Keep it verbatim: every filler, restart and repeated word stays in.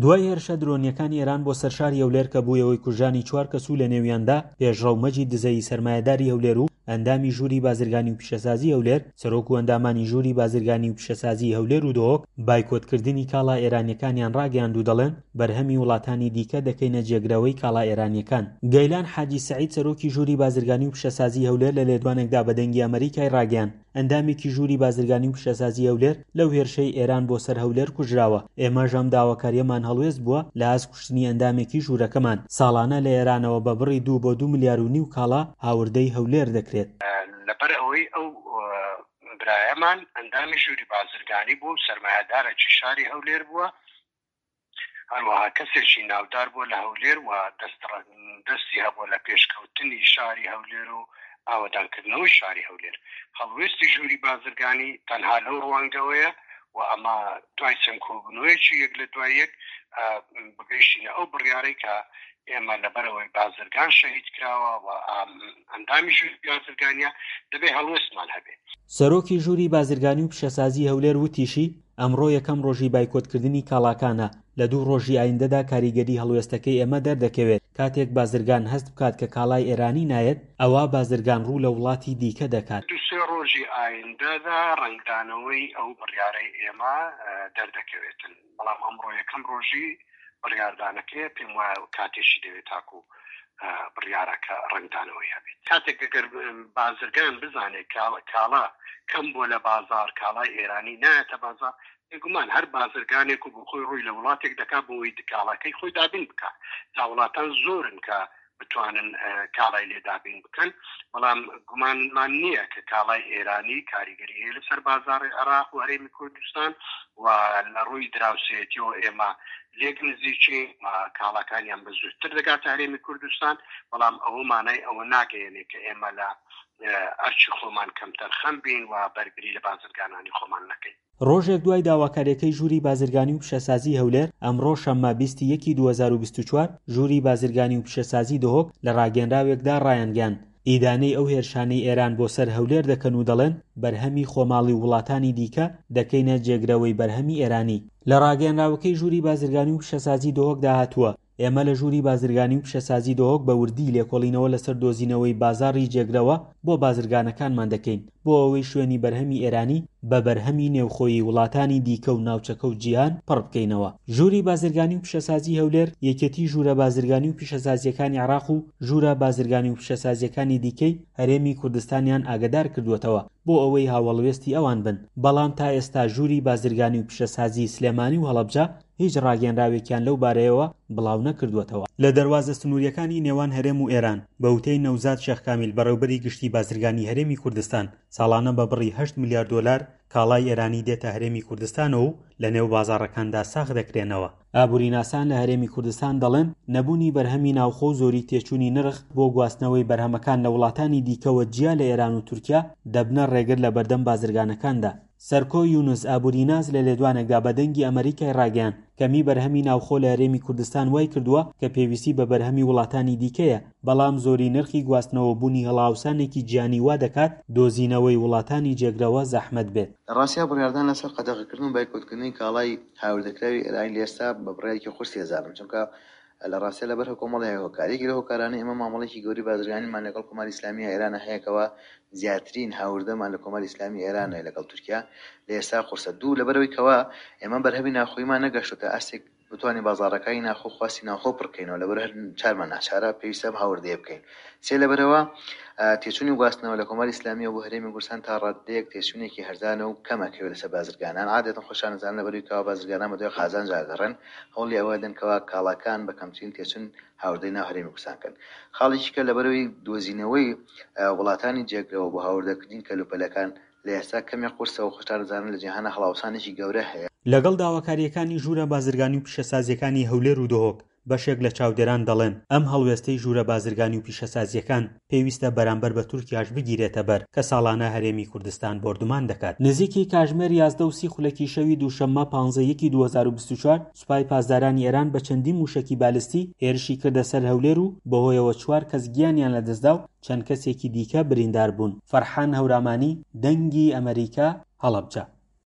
دوای هێرشە درۆنییەکانی ئێران بۆ سەر شاری هەولێر کە بوویە هۆی کوژرانی چوار کەس و لەنێویاندا پێشڕەو مەجید دزەیی سەرمایەداری هەولێر و ئەندامی ژووری بازرگانی و پیشەسازی هەولێر، سەرۆک و ئەندامانی ژووری بازرگانی و پیشەسازی هەولێر و دهۆک بایکۆتکردنی کاڵا ئێرانییەکانیان ڕاگەیاند و دەڵێن بەرهەمی وڵاتانی دیکە دەکەینە جێگرەوەی کاڵا ئێرانییەکان. گەیلان حاجی سەعید سەرۆکی ژووری بازرگانی و پیشەسازی هەولێر لە لێدوانێکدا بە دەنگی ئەمەریکای ڕاگەیاند ئەندامێکی ژووری بازرگانی و پیشەسازی هەولێر لەو هێرشەی ئێران بۆ سەر هەولێر کوژراوە، ئێمەش ئەم داواکارییەمان هەڵوێست بووە لە ئاست کوشتنی ئەندامێکی ژوورەکەمان. ساڵانە لە ئێرانەوە بە بڕی دوو بۆ دوو ملیار و نیو کاڵا هاوردەی هەولێر دەکرێت. لەبەر ئەوەی ئەو برایەمان ئەندامی ژووری بازرگانی بووە و سەرمایەدارێکی شاری هەولێر بووە، هەروەها کەسێکی ناودار بووە لە هەولێر و دەستی هەبووە لە پێشکەوتنی شاری هەولێر و ئاوەدانکردنەوەی شاری هەولێر. هەڵوێستی ژووری بازرگانی تەنها لەو ڕوانگەوەیە و ئەمە دوای چەند کۆبوونەوەیەکی یەک لە دوای یەک بگەیشتینە ئەو بڕیارەی کە ئێمە لەبەرەوەی بازرگان شەهید کراوە و ئەندامی ژووری بازرگانیە دەبێ هەڵوێستمان هەبێت. سەرۆکی ژووری بازرگانی و پیشەسازی هەولێر وتیشی ئەمڕۆ یەکەم ڕۆژی بایکۆتکردنی کاڵاکانە، لە دوو ڕۆژی ئایندەدا کاریگەری هەڵوێستەکەی ئێمە دەردەکەوێت. کاتێک بازرگان هەست بکات کە کاڵای ئێرانی نایەت، ئەوا بازرگان ڕوو لە وڵاتی دیکە دەکات. دوو سێ ڕۆژی ئایندەدا ڕەنگدانەوەی ئەو بڕیارەی ئێمە دەردەکەوێتن، بەڵام ئەمڕۆ یەکەم ڕۆژی بڕیاردانەکەیە، پێم وایە کاتێکی دەوێت تاکو بڕیارەکە ڕەنگدانەوەی هەبێت. کاتێک ئەگەر بازرگان بزانێت کاڵا کەم بووە لە بازار، کاڵای ئێرانی نایەتە بازار، بێگومان هەر بازرگانێک و بۆ خۆی ڕووی لە وڵاتێک دەکات بۆ ئەوەی کاڵاکەی خۆی دابین بکات. جا وڵاتان زۆرن کە بتوانن کاڵای لێ دابین بکەن، بەڵام گومانمان نییە کە کاڵای ئێرانی کاریگەری هەیە لەسەر بازاڕی عێراق و هەرێمی کوردستان و لە ڕووی دراوسێتیەوە ئێمە لێک نزیکین و کاڵاکانیان بە زووتر دەگاتە هەرێمی کوردستان، بەڵام ئەوە مانای ئەوە ناگەیەنێت کە ئێمە لە ئەرکی خۆمان کەمتەرخەم بین و بەرگری لە بازرگانانی خۆمان نەکەین. ڕۆژێک دوای داواکاریەکەی ژووری بازرگانی و پیشەسازی هەولێر، ئەمڕۆ شەممە بیست ی یەکی دوو هەزار و بیست و چوار ژووری بازرگانی و پیشەسازی دهۆک لە ڕاگەیەنراوێکدا ڕایانگەیاند ئیدانەی ئەو هێرشانەی ئێران بۆ سەر هەولێر دەکەن و دەڵێن بەرهەمی خۆماڵی و وڵاتانی دیکە دەکەینە جێگرەوەی بەرهەمی ئێرانی. لە ڕاگەیەنراوەکەی ژووری بازرگانی و پیشەسازی دهۆکدا هاتووە ئێمە لە ژووری بازرگانی و پیشەسازی دهۆک بە وردی لێکۆڵینەوە لەسەر دۆزینەوەی بازاڕی جێگرەوە بۆ بازرگانەکانمان دەکەین بۆ ئەوەی شوێنی بەرهەمی ئێرانی بە بەرهەمی نێوخۆیی وڵاتانی دیکە و ناوچەکە و جیهان پڕ بکەینەوە. ژووری بازرگانی و پیشەسازی هەولێر، یەکێتی ژوورە بازرگانی و پیشەسازییەکانی عێراق و ژوورە بازرگانی و پیشەسازییەکانی دیکەی هەرێمی کوردستانیان ئاگادار کردووەتەوە بۆ ئەوەی هاوەڵوێستی ئەوان بن، بەڵام تا ئێستا ژووری بازرگانی و پیشەسازی سلێمانی و هەڵەبجە هیچ ڕاگەیەنراوێکیان لەو بارەیەوە بڵاو نەکردووەتەوە. لە دەروازە سنوورییەکانی نێوان هەرێم و ئێران، بە وتەی نەوزاد شێخ کامیل بەڕێوبەری گشتی بازرگانی هەرێمی کوردستان، ساڵانە بە بڕی هەشت ملیار دۆلار کاڵای ئێرانی دێتە هەرێمی کوردستانەوە و لەنێو بازاڕەکاندا ساغ دەکرێنەوە. ئابووریناسان لە هەرێمی کوردستان دەڵێن نەبوونی بەرهەمی ناوخۆ و زۆری تێچوونی نرخ بۆ گواستنەوەی بەرهەمەکان لە وڵاتانی دیکەوە جیا لە ئێران و تورکیا دەبنە ڕێگر لە بەردەم بازرگانەکاندا. سەرکۆ یونس ئابووریناس لە لێدوانێکدا بە دەنگی ئەمەریکای ڕاگەیاند کەمی بەرهەمی ناوخۆ لە هەرێمی کوردستان وای کردووە کە پێویستی بە بەرهەمی وڵاتانی دیکەیە، بەڵام زۆری نرخی گواستنەوە بوونی هەڵاوسانێکی جیهانی وا دەکات دۆزینەوەی وڵاتانی جێگرەوە زەحمەت بێت. لە ڕاستیا بڕیاردان لەسەر قەدەغەکردن و بایکۆتکردنی کاڵای هاوردەکراوی ئێرانی لە ئێستا بە بڕیارێکی قورسی ئەزانم، چونکە لە ڕاستیا لەبەر کۆمەڵێک هۆکار. یەکێک لەو هۆکارانەی ئێمە مامەڵەیەکی گەورەی بازرگانیمان لەگەڵ کۆماری ئیسلامی ئێرانە هەیە کەوا زیاترین هاوردەمان لە کۆماری ئیسلامی ئێرانە لەگەڵ تورکیا لە ئێستا قورسە. دوو، لەبەرئەوەی کەوا ئێمە بەرهەمی ناوخۆییمان نەگەشتۆتە ئاستێک بتوانین بازاڕەکانی ناوخۆ خواستی ناوخۆ پڕکەینەوە، لەبەر هەر چارمان ناچارە پێویستە ئەم هاوردەیە بکەین. سێ، لەبەرەوە تێچوونی گواستنەوە لە کۆماری ئیسلامیەوە بۆ هەرێمی کوردستان تا ڕادەیەک تێچوونێکی هەرزانە و کەم ئەکەوێت لەسەر بازرگانان. عادەتەن خۆشیان ئەزانن لەبەرئەوەی کەوا بازرگانان بەدوای قازانجا ئەگەڕێن، هەوڵی ئەوە ئەدەن کەوا کاڵاکان بە کەمترین تێچوون هاوردەی ناو هەرێمی کوردستان بکەن. خاڵێکی کە لەبەرئەوەی دۆزینەوەی وڵاتانی جێگرەوە بۆ هاوردەکردنی کەلوپەلەکان لە ئێستا کەمێک قورسە و خۆشتان ئەزانن لە جیهانە هەڵاوسانێکی گەورە هەیە. لەگەڵ داواکارییەکانی ژوورە بازرگانی و پیشەسازییەکانی هەولێر و دهۆک، بەشێک لە چاودێران دەڵێن ئەم هەڵوێستەی ژوورە بازرگانی و پیشەسازییەکان پێویستە بەرامبەر بە تورکیاش بگیرێتە بەر کە ساڵانە هەرێمی کوردستان بۆردومان دەکات. نزیکی کاژمێر یازدە و سی خولەکی شەوی دووشەممە پانزە یەکی دوو هەزار و بیست و چوار سوپای پاسدارانی ئێران بە چەندین مووشەکی بالستی هێرشی کردە سەر هەولێر و بەهۆیەوە چوار کەس گیانیان لەدەستدا و چەند کەسێکی دیکە بریندار بوون. فەرحان هەورامانی، دەنگی ئەمەریکا، هەڵەبجە.